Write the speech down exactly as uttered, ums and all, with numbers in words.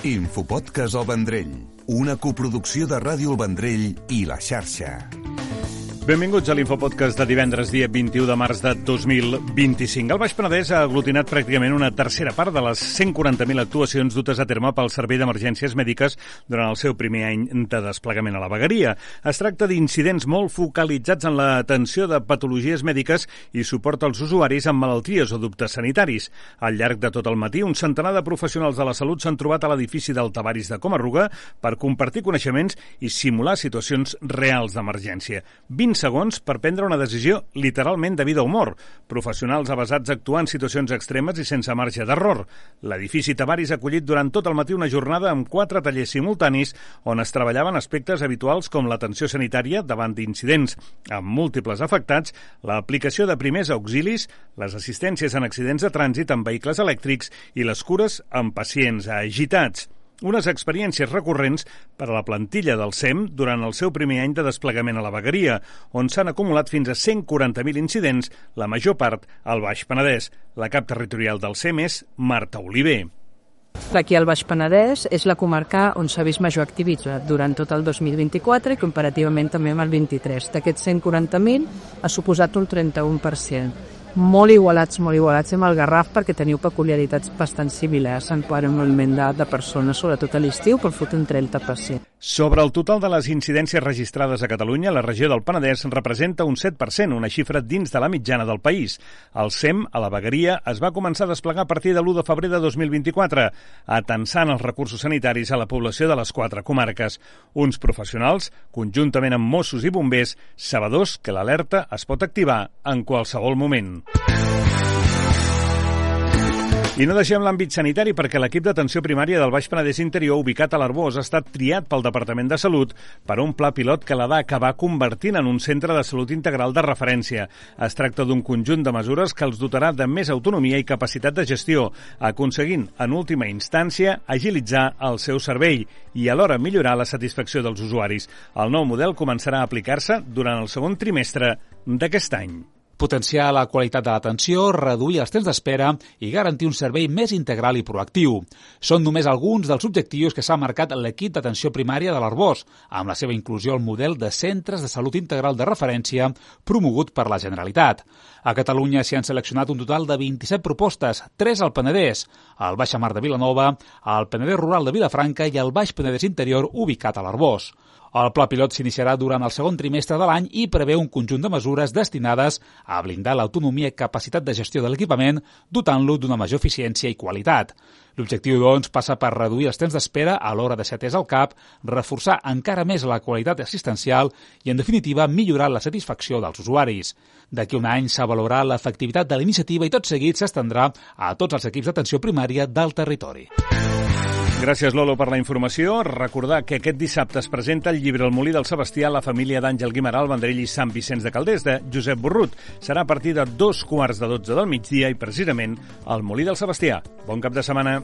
Infopodcast El Vendrell, una coproducció de Ràdio El Vendrell i La Xarxa. Benvinguts a l'Infopodcast de divendres, dia vint-i-u de març de dos mil vint-i-cinc. El Baix Penedès ha aglutinat pràcticament una tercera part de les cent quaranta mil actuacions dutes a terme pel Servei d'Emergències Mèdiques durant el seu primer any de desplegament a la vegueria. Es tracta d'incidents molt focalitzats en l'atenció de patologies mèdiques i suport als usuaris amb malalties o dubtes sanitaris. Al llarg de tot el matí, un centenar de professionals de la salut s'han trobat a l'edifici del Tavaris de Coma-ruga per compartir coneixements i simular situacions reals d'emergència. vint segons per prendre una decisió literalment de vida o mort. Professionals avesats a actuar en situacions extremes i sense marge d'error. L'edifici Tavaris ha acollit durant tot el matí una jornada amb quatre tallers simultanis on es treballaven aspectes habituals com l'atenció sanitària davant d'incidents amb múltiples afectats, l'aplicació de primers auxilis, les assistències en accidents de trànsit amb vehicles elèctrics i les cures amb pacients agitats. Unes experiències recurrents per a la plantilla del S E M durant el seu primer any de desplegament a la vegueria, on s'han acumulat fins a cent quaranta mil incidents, la major part al Baix Penedès. La cap territorial del S E M és Marta Oliver. Aquí al Baix Penedès és la comarca on s'ha vist major activitat durant tot el dos mil vint-i-quatre i comparativament també amb el vint-i-tres. D'aquests cent quaranta mil ha suposat un trenta-u per cent. Molt igualats, molt igualats amb el Garraf perquè teniu peculiaritats bastant similars en quant a moviment de, de persones, sobretot a l'estiu, per fot un trenta per cent. Sobre el total de les incidències registrades a Catalunya, la regió del Penedès representa un set per cent, una xifra dins de la mitjana del país. El S E M, a la vegueria, es va començar a desplegar a partir de l'u de febrer de dos mil vint-i-quatre, atensant els recursos sanitaris a la població de les quatre comarques. Uns professionals, conjuntament amb Mossos i bombers, sabedors que l'alerta es pot activar en qualsevol moment. I no deixem l'àmbit sanitari perquè l'equip d'atenció primària del Baix Penedès Interior, ubicat a l'Arboç, ha estat triat pel Departament de Salut per a un pla pilot que l'ha d'acabar convertint en un centre de salut integral de referència. Es tracta d'un conjunt de mesures que els dotarà de més autonomia i capacitat de gestió, aconseguint, en última instància, agilitzar el seu servei i alhora millorar la satisfacció dels usuaris. El nou model començarà a aplicar-se durant el segon trimestre d'aquest any. Potenciar la qualitat de l'atenció, reduir els temps d'espera i garantir un servei més integral i proactiu. Són només alguns dels objectius que s'ha marcat l'equip d'atenció primària de l'Arboç, amb la seva inclusió al model de centres de salut integral de referència promogut per la Generalitat. A Catalunya s'hi han seleccionat un total de vint-i-set propostes, tres al Penedès, al Baixa Mar de Vilanova, al Penedès Rural de Vilafranca i al Baix Penedès Interior ubicat a l'Arboç. El pla pilot s'iniciarà durant el segon trimestre de l'any i preveu un conjunt de mesures destinades a blindar l'autonomia i capacitat de gestió de l'equipament, dotant-lo d'una major eficiència i qualitat. L'objectiu, doncs, passa per reduir els temps d'espera a l'hora de ser atès al CAP, reforçar encara més la qualitat assistencial i, en definitiva, millorar la satisfacció dels usuaris. D'aquí un any s'avaluarà l'efectivitat de la iniciativa i tot seguit s'estendrà a tots els equips d'atenció primària del territori. Gràcies, Lolo, per la informació. Recordar que aquest dissabte es presenta el llibre El Molí del Sebastià, la família d'Àngel Guimerà, el Vendrell i Sant Vicenç de Calders, de Josep Borrut. Serà a partir de dos quarts de dotze del migdia i, precisament, el Molí del Sebastià. Bon cap de setmana.